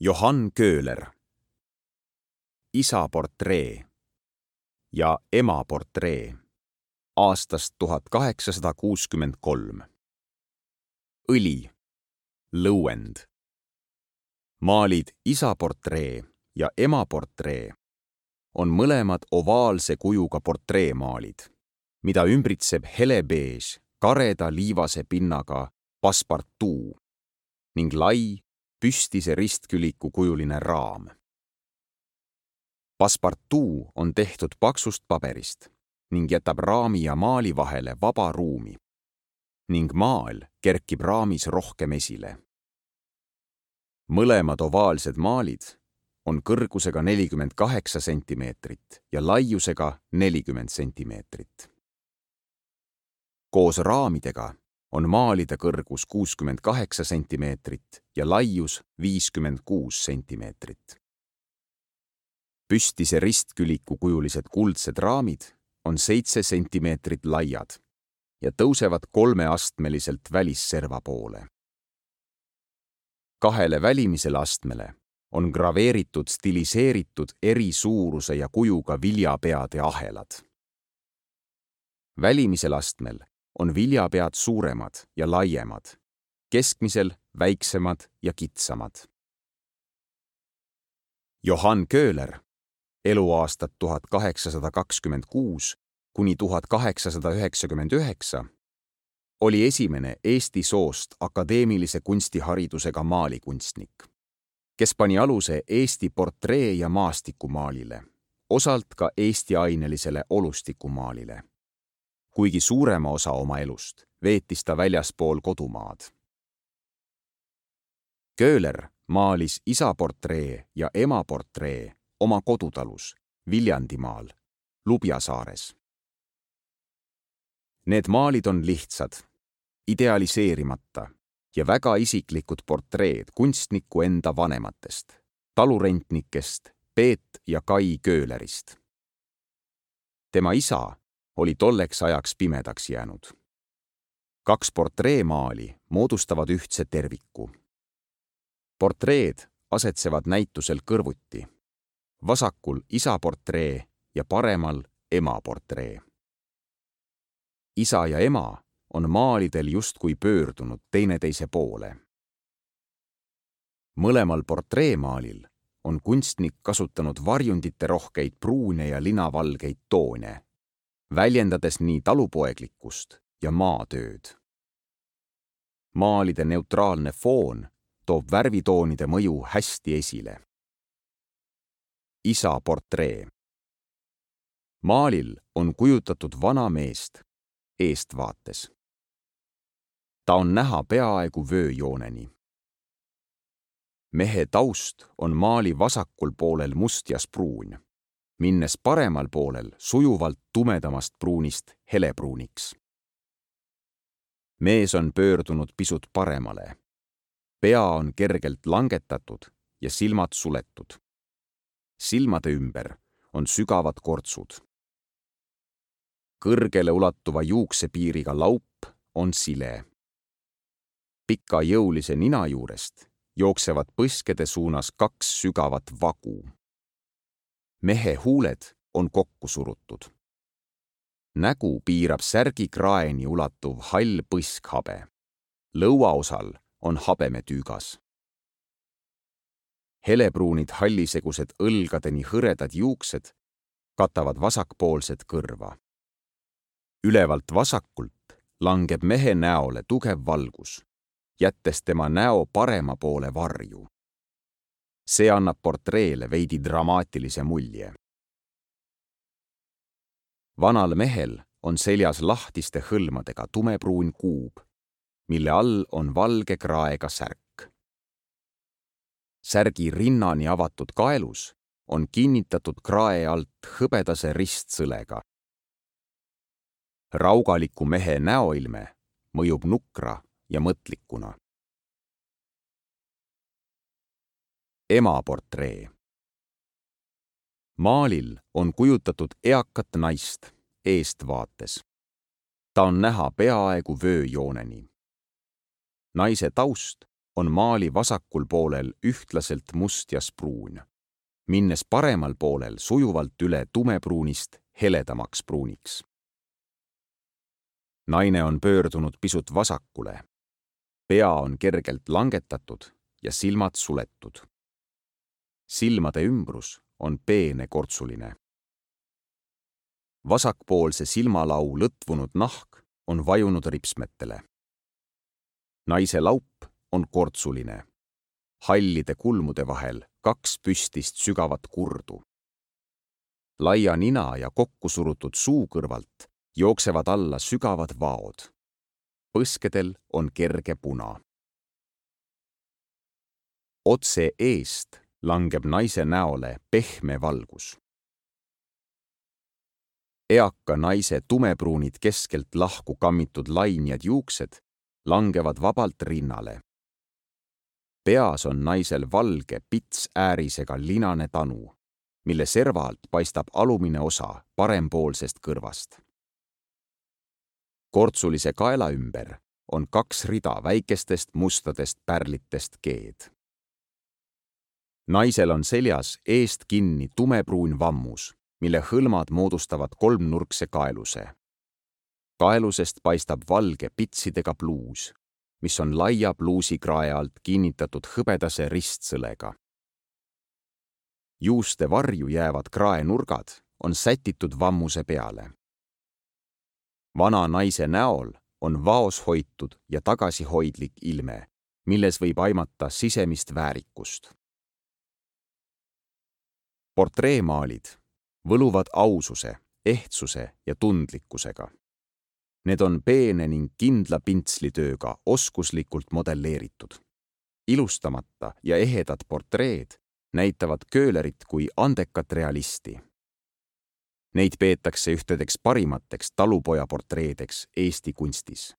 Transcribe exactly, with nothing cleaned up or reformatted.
Johann Köhler. Isa portree ja ema portree aastast tuhat kaheksasada kuuskümmend kolm. Õli, lõuend. Maalid isa portree ja ema portree on mõlemad ovaalse kujuga portreemaalid, mida ümbritseb helebeež kareda liivase pinnaga passepartout ning lai püstise ristküliku kujuline raam. Passepartout on tehtud paksust paberist ning jätab raami ja maali vahele vaba ruumi ning maal kerkib raamis rohkem esile. Mõlemad ovaalsed maalid on kõrgusega nelikümmend kaheksa sentimeetrit ja laiusega nelikümmend sentimeetrit. Koos raamidega on maalide kõrgus kuuskümmend kaheksa sentimeetrit ja laius viiskümmend kuus sentimeetrit. Püstise ristküliku kujulised kuldsed raamid on seitse sentimeetrit laiad ja tõusevad kolmeastmeliselt välisserva poole. Kahele välimisele astmele on graveeritud stiliseeritud eri suuruse ja kujuga viljapeade ahelad. Välimisel astmel on viljapead suuremad ja laiemad, keskmisel väiksemad ja kitsamad. Johann Köhler, eluaastad tuhat kaheksasada kakskümmend kuus kuni tuhat kaheksasada üheksakümmend üheksa, oli esimene Eesti soost akadeemilise kunstiharidusega maalikunstnik, kes pani aluse Eesti portree- ja maastikumaalile, osalt ka Eesti ainelisele olustikumaalile. Kuigi suurema osa oma elust veetis ta väljaspool kodumaad. Köhler maalis isa portree ja ema portree oma kodutalus Viljandimaal, Lubjasaares. Need maalid on lihtsad, idealiseerimata ja väga isiklikud portreed kunstniku enda vanematest, talurentnikest Peet ja Kai Köhlerist. Tema isa oli tolleks ajaks pimedaks jäänud. Kaks portreemaali moodustavad ühtse terviku. Portreed asetsevad näitusel kõrvuti, vasakul isa portree ja paremal ema portree. Isa ja ema on maalidel justkui pöördunud teineteise poole. Mõlemal portreemaalil on kunstnik kasutanud varjundite rohkeid pruune ja linavalgeid toone, väljendades nii talupoeglikkust ja maatööd. Maalide neutraalne foon toob värvitoonide mõju hästi esile. Isa portree. Maalil on kujutatud vana meest eestvaates. Ta on näha peaaegu vööjooneni. Mehe taust on maali vasakul poolel must ja spruun, minnes paremal poolel sujuvalt tumedamast pruunist helepruuniks. Mees on pöördunud pisut paremale. Pea on kergelt langetatud ja silmad suletud. Silmade ümber on sügavad kortsud. Kõrgele ulatuva juuksepiiriga laup on sile. Pika jõulise nina juurest jooksevad põskede suunas kaks sügavat vagu. Mehe huuled on kokku surutud. Nägu piirab särgi kraeni ulatuv hall põskhabe. Lõuaosal on habemetüügas. Helepruunid hallisegused õlgadeni hõredad juuksed katavad vasakpoolset kõrva. Ülevalt vasakult langeb mehe näole tugev valgus, jättes tema näo parema poole varju. See annab portreele veidi dramaatilise mulje. Vanal mehel on seljas lahtiste hõlmadega tumepruun kuub, mille all on valge kraega särk. Särgi rinnani avatud kaelus on kinnitatud krae alt hõbedase ristsõlega. Raugaliku mehe näoilme mõjub nukra ja mõtlikuna. Ema portree. Maalil on kujutatud eakat naist eestvaates. Ta on näha peaaegu vööjooneni. Naise taust on maali vasakul poolel ühtlaselt must ja spruun, minnes paremal poolel sujuvalt üle tumepruunist heledamaks pruuniks. Naine on pöördunud pisut vasakule. Pea on kergelt langetatud ja silmad suletud. Silmade ümbrus on peene kortsuline. Vasakpoolse silmalau lõtvunud nahk on vajunud ripsmetele. Naise laup on kortsuline. Hallide kulmude vahel kaks püstist sügavat kurdu. Laia nina ja kokku surutud suu kõrvalt jooksevad alla sügavad vaod. Põskedel on kerge puna. Otse eest langeb naise näole pehme valgus. Eaka naise tumepruunid keskelt lahku kammitud lainjad juuksed langevad vabalt rinnale. Peas on naisel valge pits äärisega linane tanu, mille serva alt paistab alumine osa parempoolsest kõrvast. Kortsulise kaela ümber on kaks rida väikestest mustadest pärlitest keed. Naisel on seljas eest kinni tumepruun vammus, mille hõlmad moodustavad kolmnurkse kaeluse. Kaelusest paistab valge pitsidega pluus, mis on laia pluusikrae alt kinnitatud hõbedase ristsõlega. Juuste varju jäävad kraenurgad on sätitud vammuse peale. Vana naise näol on vaos hoitud ja tagasihoidlik ilme, milles võib aimata sisemist väärikust. Portreemaalid võluvad aususe, ehtsuse ja tundlikkusega. Need on peene ning kindla pintslitööga oskuslikult modelleeritud. Ilustamata ja ehedad portreed näitavad Köhlerit kui andekat realisti. Neid peetakse ühtedeks parimateks talupoja portreedeks Eesti kunstis.